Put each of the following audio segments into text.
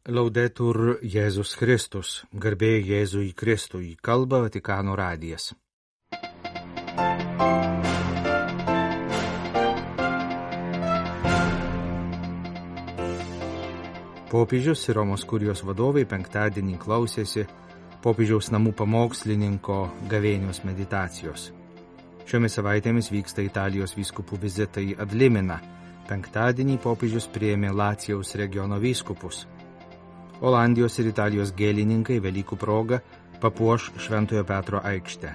Laudetur Jėzus Kristus, garbė Jėzui Kristui, kalba Vatikano radijas. Popiežius ir Romos kurijos vadovai penktadienį klausėsi popiežiaus namų pamokslininko gavėnios meditacijos. Šiomis savaitėmis vyksta Italijos vyskupų vizitai ad limina. Penktadienį popiežius priėmė Lacijaus regiono vyskupus. Olandijos ir Italijos gėlininkai Velykų proga papuoš Šventojo Petro aikštę.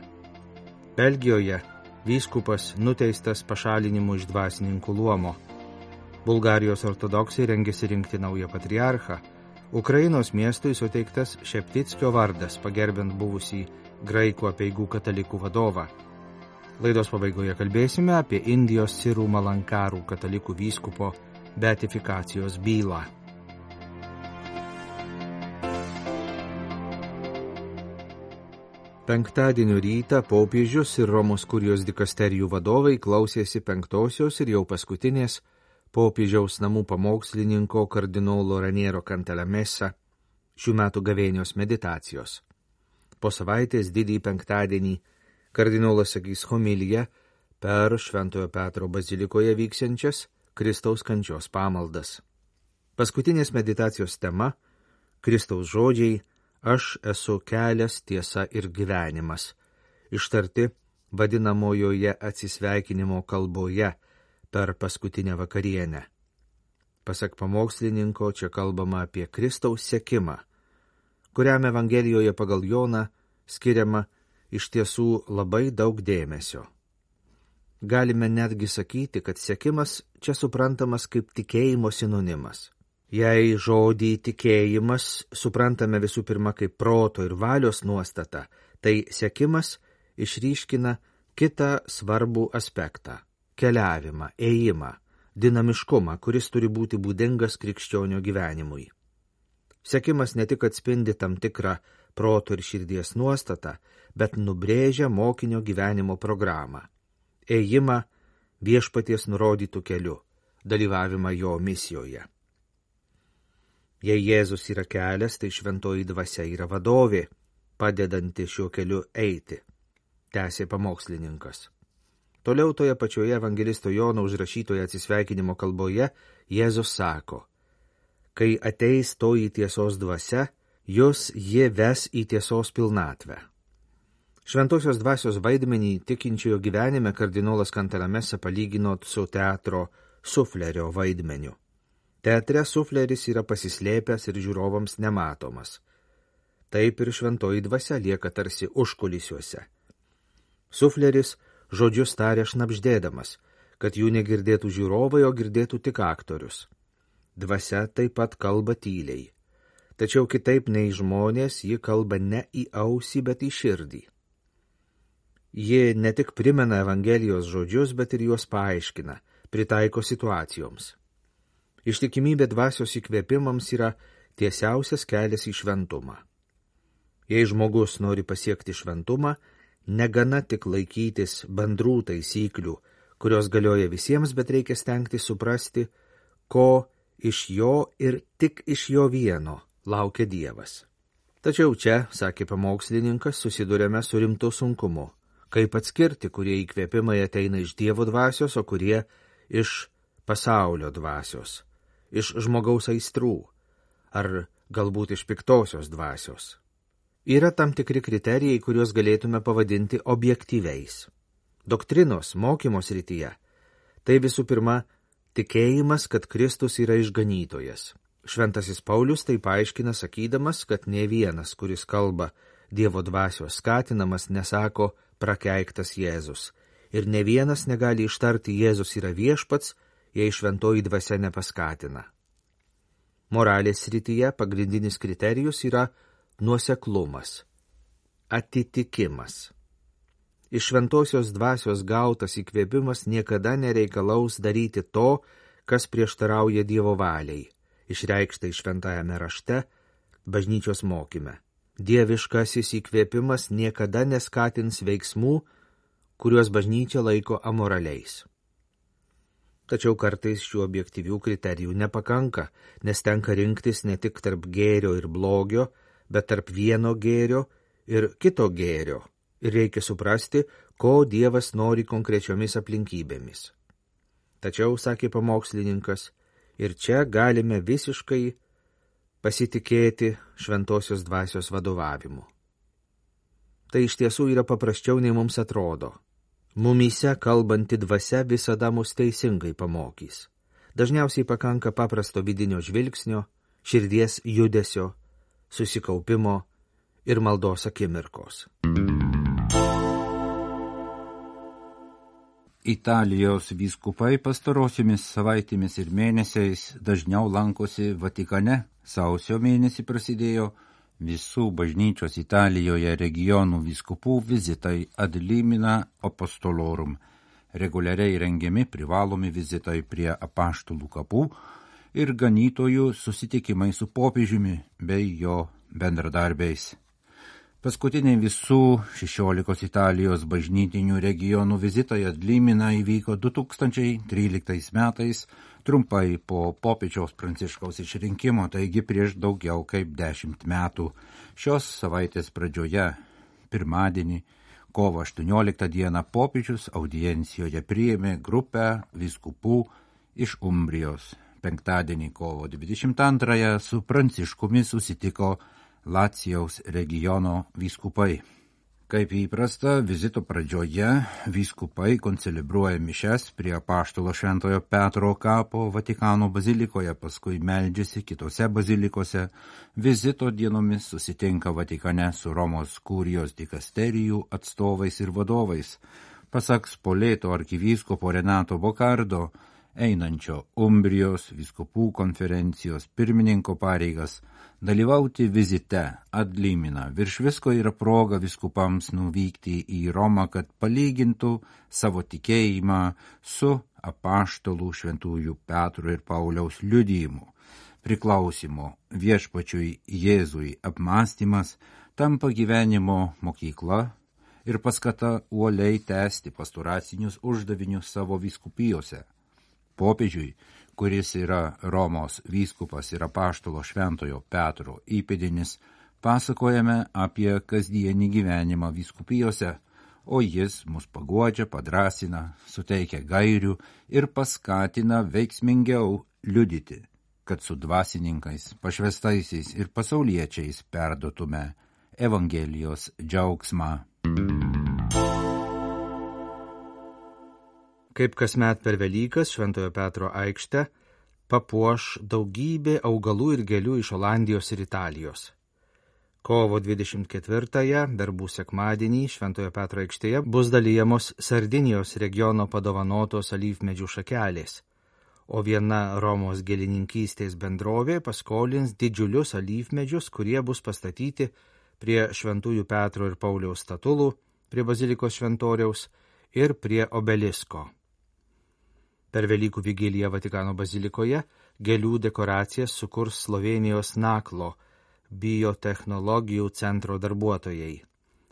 Belgijoje vyskupas nuteistas pašalinimu iš dvasininkų luomo. Bulgarijos ortodoksai rengiasi rinkti naują patriarchą. Ukrainos miestui suteiktas Šeptickio vardas, pagerbint buvusį graikų apeigų katalikų vadovą. Laidos pabaigoje kalbėsime apie Indijos Sirų Malankarų katalikų vyskupo beatifikacijos bylą. Penktadienio rytą popiežius ir Romos kurijos dikasterijų vadovai klausėsi penktosios ir jau paskutinės popiežiaus namų pamokslininko kardinolo Raniero Cantalamessa šių metų gavėnios meditacijos. Po savaitės didįjį penktadienį kardinolas sakys homiliją per Šventojo Petro bazilikoje vyksiančias Kristaus kančios pamaldas. Paskutinės meditacijos tema – Kristaus žodžiai Aš esu kelias, tiesa ir gyvenimas, ištarti vadinamojoje atsisveikinimo kalboje per paskutinę vakarienę. Pasak pamokslininko, čia kalbama apie Kristaus sekimą, kuriam Evangelijoje pagal Joną skiriama iš tiesų labai daug dėmesio. Galime netgi sakyti, kad sekimas čia suprantamas kaip tikėjimo sinonimas. Jei žodį tikėjimas suprantame visų pirma kaip proto ir valios nuostata, tai sekimas išryškina kitą svarbų aspektą – keliavimą, ėjimą, dinamiškumą, kuris turi būti būdingas krikščionio gyvenimui. Sekimas ne tik atspindi tam tikrą proto ir širdies nuostatą, bet nubrėžia mokinio gyvenimo programą – ėjimą viešpaties nurodytų keliu, dalyvavimą jo misijoje. Jei Jėzus yra kelias, tai šventoji dvasia yra vadovė, padedanti šiuo keliu eiti, tęsė pamokslininkas. Toliau toje pačioje evangelisto Jono užrašytoje atsisveikinimo kalboje Jėzus sako, kai ateis toji tiesos dvasia, jūs ji ves į tiesos pilnatvę. Šventosios dvasios vaidmenį tikinčiojo gyvenime kardinolas Cantalamessa palygino su teatro suflerio vaidmeniu. Teatre sufleris yra pasislėpęs ir žiūrovams nematomas. Taip ir šventoji dvasia lieka tarsi užkulisiuose. Sufleris žodžius taria šnabždėdamas, kad jų negirdėtų žiūrovai, o girdėtų tik aktorius. Dvasia taip pat kalba tyliai. Tačiau kitaip nei žmonės, ji kalba ne į ausį, bet į širdį. Ji ne tik primena Evangelijos žodžius, bet ir juos paaiškina, pritaiko situacijoms. Ištikimybė dvasios įkvėpimams yra tiesiausias kelias į šventumą. Jei žmogus nori pasiekti šventumą, negana tik laikytis bendrų taisyklių, kurios galioja visiems, bet reikia stengtis suprasti, ko iš jo ir tik iš jo vieno laukia Dievas. Tačiau čia, sakė pamokslininkas, susidurėme su rimtu sunkumu. Kaip atskirti, kurie įkvėpimai ateina iš Dievo dvasios, o kurie iš pasaulio dvasios, iš žmogaus aistrų, ar galbūt iš piktosios dvasios. Yra tam tikri kriterijai, kuriuos galėtume pavadinti objektyviais. Doktrinos, mokymo srityje – tai visų pirma tikėjimas, kad Kristus yra išganytojas. Šventasis Paulius tai paaiškina sakydamas, kad ne vienas, kuris kalba Dievo dvasios skatinamas, nesako prakeiktas Jėzus. Ir ne vienas negali ištarti Jėzus yra viešpats, jei šventoji dvasia nepaskatina. Moralės srityje pagrindinis kriterijus yra nuoseklumas, atitikimas. Iš šventosios dvasios gautas įkvėpimas niekada nereikalaus daryti to, kas prieštarauja Dievo valiai, išreikštai šventajame rašte, bažnyčios mokyme. Dieviškasis įkvėpimas niekada neskatins veiksmų, kuriuos bažnyčia laiko amoraliais. Tačiau kartais šių objektyvių kriterijų nepakanka, nes tenka rinktis ne tik tarp gėrio ir blogio, bet tarp vieno gėrio ir kito gėrio. Ir reikia suprasti, ko Dievas nori konkrečiomis aplinkybėmis. Tačiau, sakė pamokslininkas, ir čia galime visiškai pasitikėti šventosios dvasios vadovavimu. Tai iš tiesų yra paprasčiau, nei mums atrodo. Mumyse kalbanti dvasia visada mus teisingai pamokys. Dažniausiai pakanka paprasto vidinio žvilgsnio, širdies judesio, susikaupimo ir maldos akimirkos. Italijos vyskupai pastarosiomis savaitėmis ir mėnesiais dažniau lankosi Vatikane. Sausio mėnesį prasidėjo visų bažnyčios Italijoje regionų vyskupų vizitai ad limina apostolorum, reguliariai rengiami privalomi vizitai prie apaštalų kapų ir ganytojų susitikimai su popiežiumi bei jo bendradarbiais. Paskutiniai visų 16 Italijos bažnytinių regionų vizitai ad limina įvyko 2013 metais, trumpai po popiežiaus Pranciškaus išrinkimo, taigi prieš daugiau kaip 10 metų. Šios savaitės pradžioje, pirmadienį, kovo 18 dieną, popiežius audiencijoje priėmė grupę vyskupų iš Umbrijos. Penktadienį, kovo 22 su Pranciškumi susitiko Lacijaus regiono vyskupai. Kaip įprasta, vizito pradžioje vyskupai koncelebruoja mišes prie apaštalo Šventojo Petro kapo Vatikano bazilikoje, paskui meldžiasi kitose bazilikose. Vizito dienomis susitinka Vatikane su Romos kurijos dikasterijų atstovais ir vadovais. Pasak Spoleto arkivyskupo Renato Bocardo, einančio Umbrijos vyskupų konferencijos pirmininko pareigas, dalyvauti vizite ad limina virš visko yra proga vyskupams nuvykti į Romą, kad palygintų savo tikėjimą su apaštalų šventųjų Petro ir Pauliaus liudijimu. Priklausimo viešpačiui Jėzui apmąstymas tampa gyvenimo mokykla ir paskata uoliai tęsti pastoracinius uždavinius savo vyskupijose. Popiežiui, kuris yra Romos vyskupas ir apaštalo Šventojo Petro įpėdinis, pasakojame apie kasdienį gyvenimą vyskupijose, o jis mus paguodžia, padrasina, suteikia gairių ir paskatina veiksmingiau liudyti, kad su dvasininkais, pašvestaisiais ir pasauliečiais perduotume Evangelijos džiaugsmą. Kaip kasmet per Velykas Šventojo Petro aikštę papuoš daugybė augalų ir gėlių iš Olandijos ir Italijos. Kovo 24-ąją, verbų sekmadienį, Šventojo Petro aikštėje bus dalijamos Sardinijos regiono padovanotos alyvmedžių šakelės, o viena Romos gėlininkystės bendrovė paskolins didžiulius alyvmedžius, kurie bus pastatyti prie Šventųjų Petro ir Pauliaus statulų, prie bazilikos šventoriaus ir prie obelisko. Per Velykų vigiliją Vatikano bazilikoje gėlių dekoracijas sukurs Slovenijos Naklo biotechnologijų centro darbuotojai.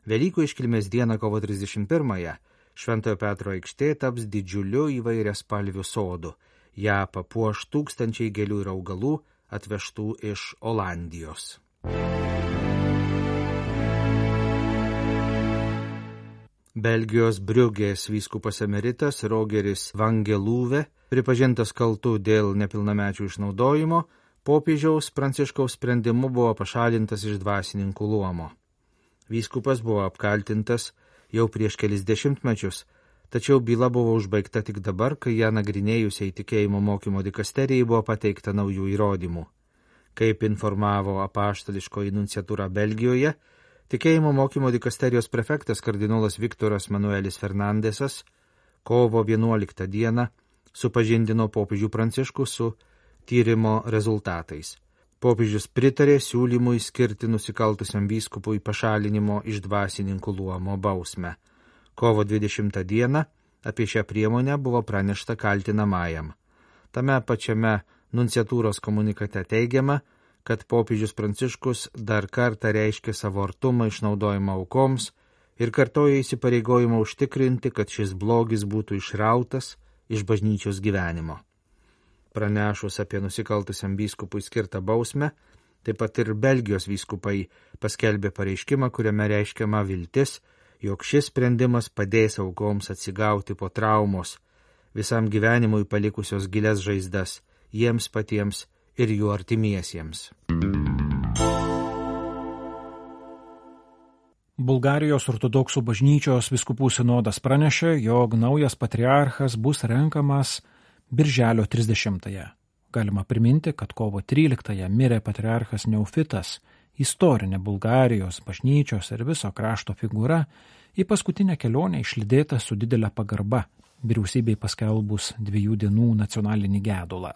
Velykų iškilmės dieną kovo 31-ąją Šventojo Petro aikštė taps didžiuliu įvairiaspalviu sodu. Ja papuoš tūkstančiai gėlių ir augalų atvežtų iš Olandijos. Belgijos Briugės vyskupas emeritas Rogeris Vangelūve, pripažintas kaltu dėl nepilnamečių išnaudojimo, popiežiaus Pranciškaus sprendimu buvo pašalintas iš dvasininkų luomo. Vyskupas buvo apkaltintas jau prieš kelis dešimtmečius, tačiau byla buvo užbaigta tik dabar, kai ją nagrinėjusiai tikėjimo mokymo dikasterijai buvo pateikta naujų įrodymų. Kaip informavo apaštališkoji nunciatūra Belgijoje, tikėjimo mokymo dikasterijos prefektas kardinolas Viktoras Manuelis Fernandesas kovo 11 dieną supažindino popiežių Pranciškų su tyrimo rezultatais. Popiežius pritarė siūlymui skirti nusikaltusiam vyskupui pašalinimo iš dvasininkų luomo bausmę. Kovo 20 dieną apie šią priemonę buvo pranešta kaltinamajam. Tame pačiame nunciatūros komunikate teigiama, kad popiežius Pranciškus dar kartą reiškė savo artumą išnaudojimą aukoms ir kartoja įsipareigojimą užtikrinti, kad šis blogis būtų išrautas iš bažnyčios gyvenimo. Pranešus apie nusikaltusiam vyskupui skirtą bausmę, taip pat ir Belgijos vyskupai paskelbė pareiškimą, kuriame reiškiama viltis, jog šis sprendimas padės aukoms atsigauti po traumos, visam gyvenimui palikusios gilias žaizdas, jiems patiems ir jų artimiesiems. Bulgarijos ortodoksų bažnyčios vyskupų sinodas pranešė, jog naujas patriarchas bus renkamas Birželio 30-ąją. Galima priminti, kad kovo 13-ąją mirė patriarchas Neufitas, istorinė Bulgarijos bažnyčios ir viso krašto figūra, į paskutinę kelionę išlydėta su didelė pagarba, vyriausybei paskelbus 2 dienų nacionalinį gedulą.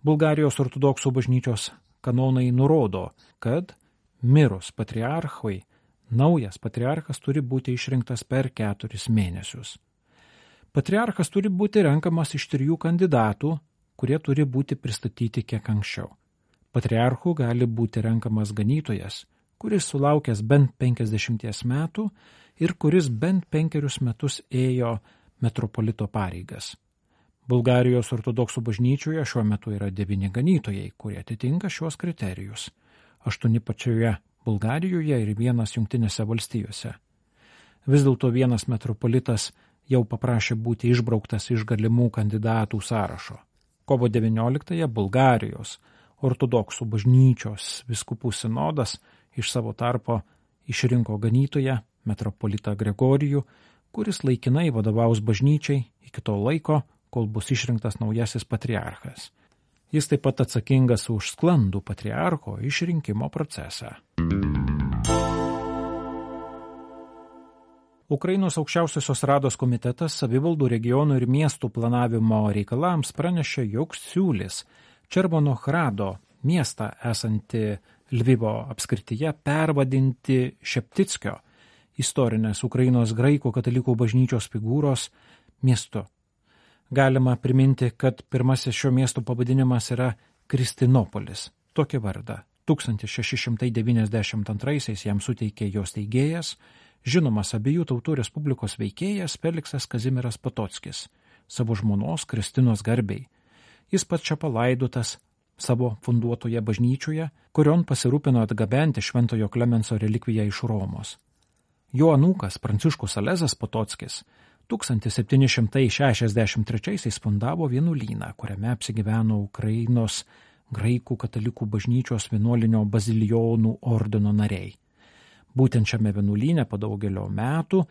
Bulgarijos ortodoksų bažnyčios kanonai nurodo, kad mirus patriarchui, naujas patriarchas turi būti išrinktas per 4 mėnesius. Patriarchas turi būti renkamas iš 3 kandidatų, kurie turi būti pristatyti kiek anksčiau. Patriarchu gali būti renkamas ganytojas, kuris sulaukęs bent 50 metų ir kuris bent 5 metus ėjo metropolito pareigas. Bulgarijos ortodoksų bažnyčioje šiuo metu yra 9 ganytojai, kurie atitinka šiuos kriterijus. 8 pačioje Bulgarijoje ir 1 Jungtinėse valstijose. Vis dėlto vienas metropolitas jau paprašė būti išbrauktas iš galimų kandidatų sąrašo. Kovo 19-ąją Bulgarijos ortodoksų bažnyčios vyskupų sinodas iš savo tarpo išrinko ganytoją metropolitą Gregorijų, kuris laikinai vadovaus bažnyčiai iki to laiko, kol bus išrinktas naujasis patriarchas. Jis taip pat atsakingas už sklandų patriarcho išrinkimo procesą. Ukrainos aukščiausiosios rados komitetas savivaldų regionų ir miestų planavimo reikalams pranešė, jog siūlys Červonohrado miestą esantį Lvivo apskrityje pervadinti Šeptickio, istorinės Ukrainos graikų katalikų bažnyčios figūros, miestu. Galima priminti, kad pirmasis šio miesto pavadinimas yra Kristinopolis. Tokį vardą 1692 jam suteikė jos steigėjas, žinomas abiejų tautų respublikos veikėjas Feliksas Kazimieras Potockis, savo žmonos Kristinos garbei. Jis pats čia palaidotas savo funduotoje bažnyčioje, kurion pasirūpino atgabenti Šventojo Klemenso relikviją iš Romos. Jo anūkas Pranciškus Alezas Potockis 1763 fundavo vienuolyną, kuriame apsigyveno Ukrainos graikų katalikų bažnyčios vienuolinio bazilijonų ordino nariai. Būtent šiame vienuolyne po daugelio metų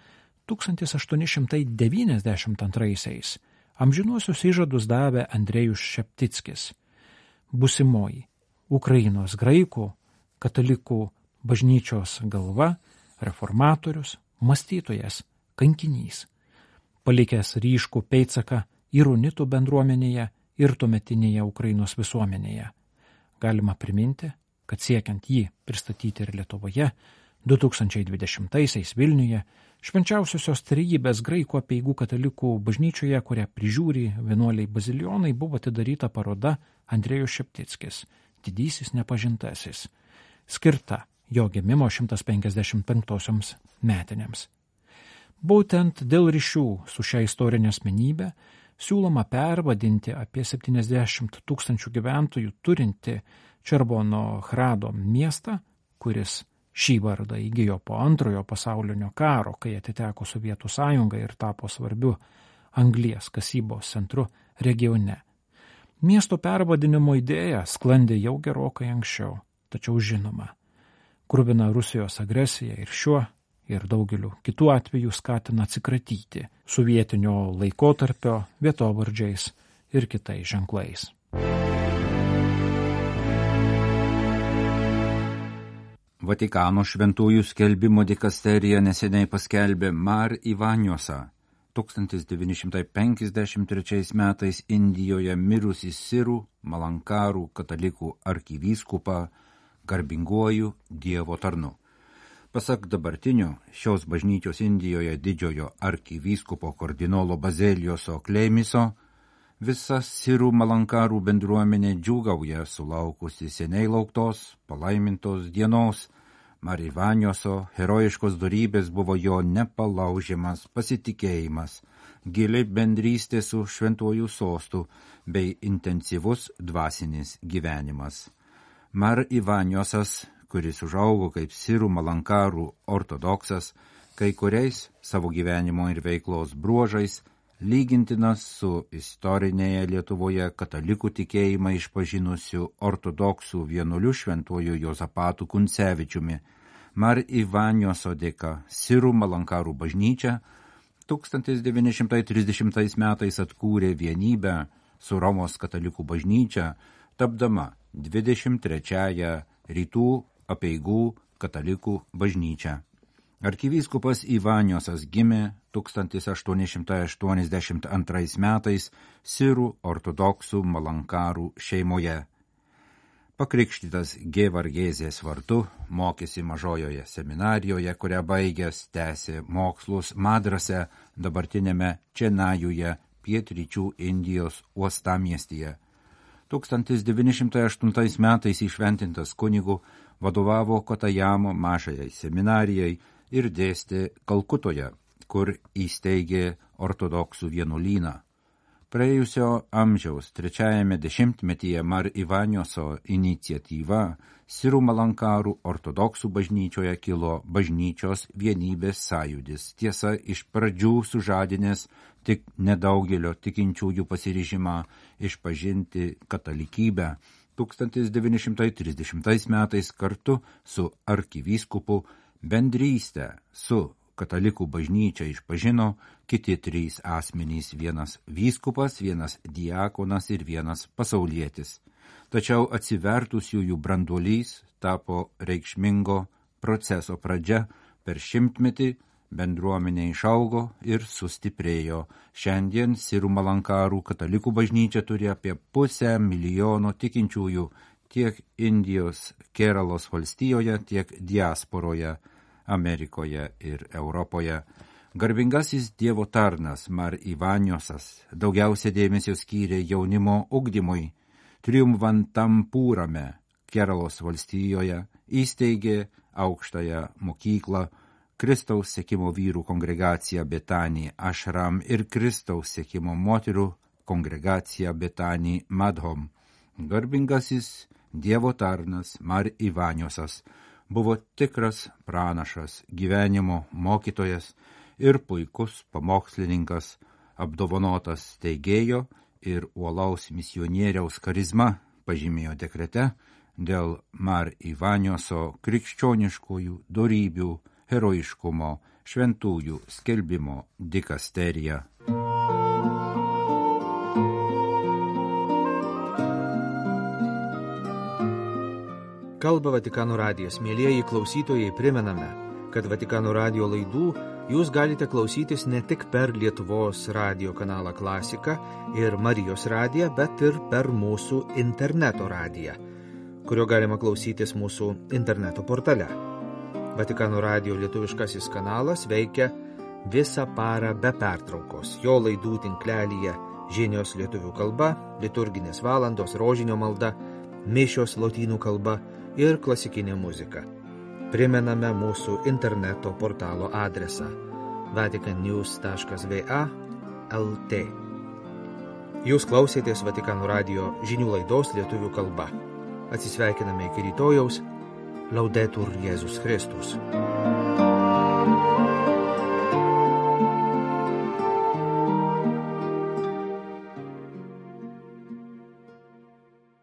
1892 amžinuosius įžadus davė Andrejus Šeptickis, busimoji Ukrainos graikų katalikų bažnyčios galva, reformatorius, mąstytojas, kankinys, palikęs ryškų pėdsaką ir unitų bendruomenėje ir tuometinėje Ukrainos visuomenėje. Galima priminti, kad siekiant jį pristatyti ir Lietuvoje, 2020 Vilniuje Švenčiausiosios Trejybės graikų apeigų katalikų bažnyčioje, kurią prižiūri vienuoliai bazilijonai, buvo atidaryta paroda Andrejus Šeptickis, didysis nepažintasis, skirta jo gimimo 155 metinėms. Būtent dėl ryšių su šia istorinė asmenybė siūloma pervadinti apie 70 000 gyventojų turinti Červonohrado miestą, kuris šį vardą įgijo po Antrojo pasaulinio karo, kai atiteko Sovietų sąjungai ir tapo svarbiu anglies kasybos centru regione. Miesto pervadinimo idėja sklandė jau gerokai anksčiau, tačiau žinoma, kruvina Rusijos agresija ir šiuo ir daugeliu kitų atvejų skatina atsikratyti sovietinio laikotarpio vietovardžiais ir kitais ženklais. Vatikano šventųjų skelbimo dikasterija neseniai paskelbė Mar Ivaniosą, 1953 metais Indijoje mirusį sirų Malankarų katalikų arkivyskupą garbinguoju Dievo tarnu. Pasak dabartinio šios bažnyčios Indijoje didžiojo arkivyskupo kardinolo Bazelijoso Kleimiso, visa sirų Malankarų bendruomenė džiūgauja sulaukusi seniai lauktos, palaimintos dienos, Mar Ivanioso herojiškos dorybės buvo jo nepalaužiamas pasitikėjimas, gili bendrystė su šventuoju sostu bei intensyvus dvasinis gyvenimas. Mar Ivaniosas, kuris užaugo kaip sirų malankarų ortodoksas, kai kuriais savo gyvenimo ir veiklos bruožais lygintinas su istorinėje Lietuvoje katalikų tikėjimą išpažinusiu ortodoksų vienuoliu šventuoju Juozapatu Kuncevičiumi. Mar Ivanioso dėka sirų malankarų bažnyčia 1930 metais atkūrė vienybę su Romos katalikų bažnyčia, tapdama 23-ąją rytų apeigų katalikų bažnyčią. Arkivyskupas Ivaniosas gimė 1882 metais sirų ortodoksų malankarų šeimoje. Pakrikštytas G. Vargėzės vardu, mokėsi mažojoje seminarijoje, kurią baigęs tęsė mokslus Madrase, dabartinėme Čenajuje, pietryčių Indijos uostamiestyje. 1908 metais įšventintas kunigu vadovavo Kotajamo mažajai seminarijai ir dėstė Kalkutoje, kur įsteigė ortodoksų vienuolyną. Praėjusio amžiaus trečiajame dešimtmetyje Mar Ivanioso iniciatyva sirų malankarų ortodoksų bažnyčioje kilo bažnyčios vienybės sąjūdis. Tiesa, iš pradžių sužadinęs tik nedaugelio tikinčiųjų pasiryžimą išpažinti katalikybę. 1930 metais kartu su arkivyskupu bendrystę su katalikų bažnyčia išpažino kiti 3 asmenys, vienas vyskupas, vienas diakonas ir vienas pasaulietis. Tačiau atsivertusiųjų branduolys tapo reikšmingo proceso pradžia. Per 100-metį bendruomenė išaugo ir sustiprėjo. Šiandien sirų malankarų katalikų bažnyčia turi apie 500,000 tikinčiųjų tiek Indijos Keralos valstijoje, tiek diasporoje, Amerikoje ir Europoje. Garbingasis Dievo tarnas Mar Ivaniosas daugiausia dėmesio skyrė jaunimo ugdymui. Triumvantampūrame Keralos valstijoje įsteigė aukštąją mokyklą, Kristaus sekimo vyrų kongregaciją Betani Ashram ir Kristaus sekimo moterų kongregaciją Betani Madhom. Garbingasis Dievo tarnas Mar Ivaniosas buvo tikras pranašas, gyvenimo mokytojas ir puikus pamokslininkas, apdovanotas steigėjo ir uolaus misionieriaus charizma, pažymėjo dekrete dėl Mar Ivanioso krikščioniškųjų dorybių, herojiškumo, šventųjų skelbimo dikasterija. Kalba Vatikano radijas. Mielieji klausytojai, primename, kad Vatikano radijo laidų jūs galite klausytis ne tik per Lietuvos radijo kanalą Klasika ir Marijos radiją, bet ir per mūsų interneto radiją, kurio galima klausytis mūsų interneto portale. Vatikano radijo lietuviškasis kanalas veikia visą parą be pertraukos. Jo laidų tinklelyje žinios lietuvių kalba, liturginės valandos, rožinio malda, mišios lotynų kalba ir klasikinė muzika. Primename mūsų interneto portalo adresą vaticannews.va/lt. Jūs klausėtės Vatikano radijo žinių laidos lietuvių kalba. Atsisveikiname iki rytojaus. Laudetur Jėzus Kristus.